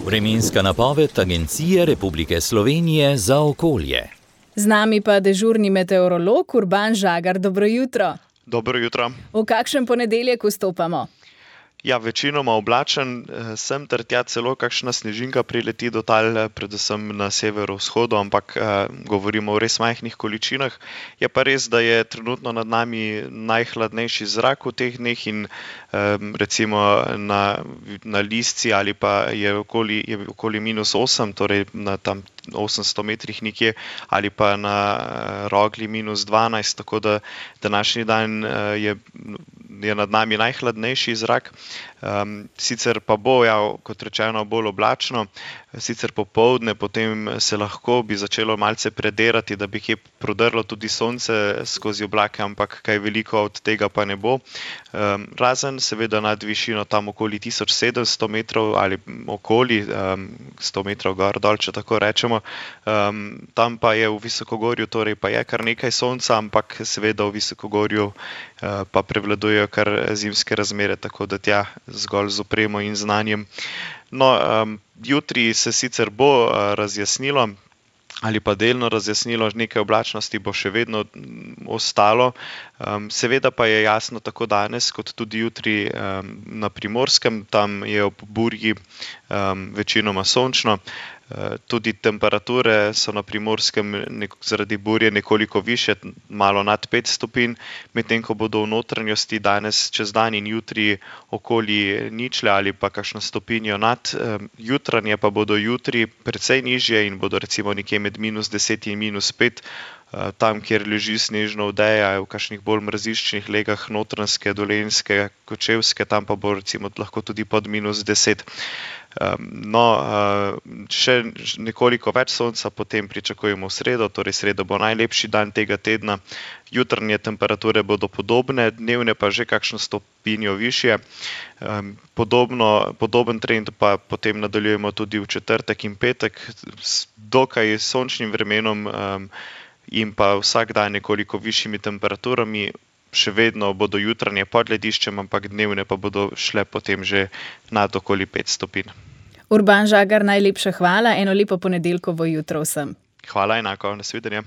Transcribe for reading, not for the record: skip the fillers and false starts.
Vremenska napoved Agencije Republike Slovenije za okolje. Z nami pa dežurni meteorolog Urban Žagar. Dobro jutro. Dobro jutro. V kakšen ponedeljek vstopamo? Ja, večinoma oblačen, sem ter tja celo kakšna snežinka prileti do tal, predvsem na severovzhodu, ampak govorimo o res majhnih količinah. Je pa res, da je trenutno nad nami najhladnejši zrak v teh dneh in recimo na Lisci ali pa je okoli -8, torej na tam 800 metrih nekje, ali pa na Rogli -12, tako da današnji dan je nad nami najhladnejši zrak. Sicer pa bo, kot rečeno, bolj oblačno, sicer popoldne, potem se lahko bi začelo malce predirati, da bi kje prodrlo tudi sonce skozi oblake, ampak kaj veliko od tega pa ne bo. Razen seveda nad višino tam okoli 1700 metrov ali okoli 100 metrov gor dol, če tako rečemo. Tam pa je v visokogorju, torej pa je kar nekaj sonca, ampak seveda v visokogorju pa prevladujejo kar zimske razmere, tako da tja zgolj z opremo in znanjem. No, jutri se sicer bo razjasnilo ali pa delno razjasnilo, nekaj oblačnosti bo še vedno ostalo. Seveda pa je jasno tako danes kot tudi jutri na Primorskem, tam je ob burji večinoma sončno. Tudi temperature so na Primorskem zaradi burje nekoliko višje, malo nad 5 stopinj, medtem ko bodo v notranjosti danes čez dan in jutri okoli ničle ali pa kakšno stopinjo nad. Jutranje pa bodo jutri precej nižje in bodo recimo nekje med -10 in -5. Tam, kjer leži snežna odeja, v kakšnih bolj mraziščnih legah Notranjske, Dolenjske, Kočevske, tam pa bo recimo lahko tudi pod -10. No, še nekoliko več sonca potem pričakujemo v sredo, torej sredo bo najlepši dan tega tedna. Jutranje temperature bodo podobne, dnevne pa že kakšno stopinjo višje. Podoben trend pa potem nadaljujemo tudi v četrtek in petek s dokaj sončnim vremenom in pa vsak dan nekoliko višjimi temperaturami. Še vedno bodo jutranje pod lediščem, ampak dnevne pa bodo šle potem že nad okoli 5 stopinj. Urban Žagar, najlepša hvala, eno lepo ponedeljkovo jutro vsem. Hvala enako, nasvidenje.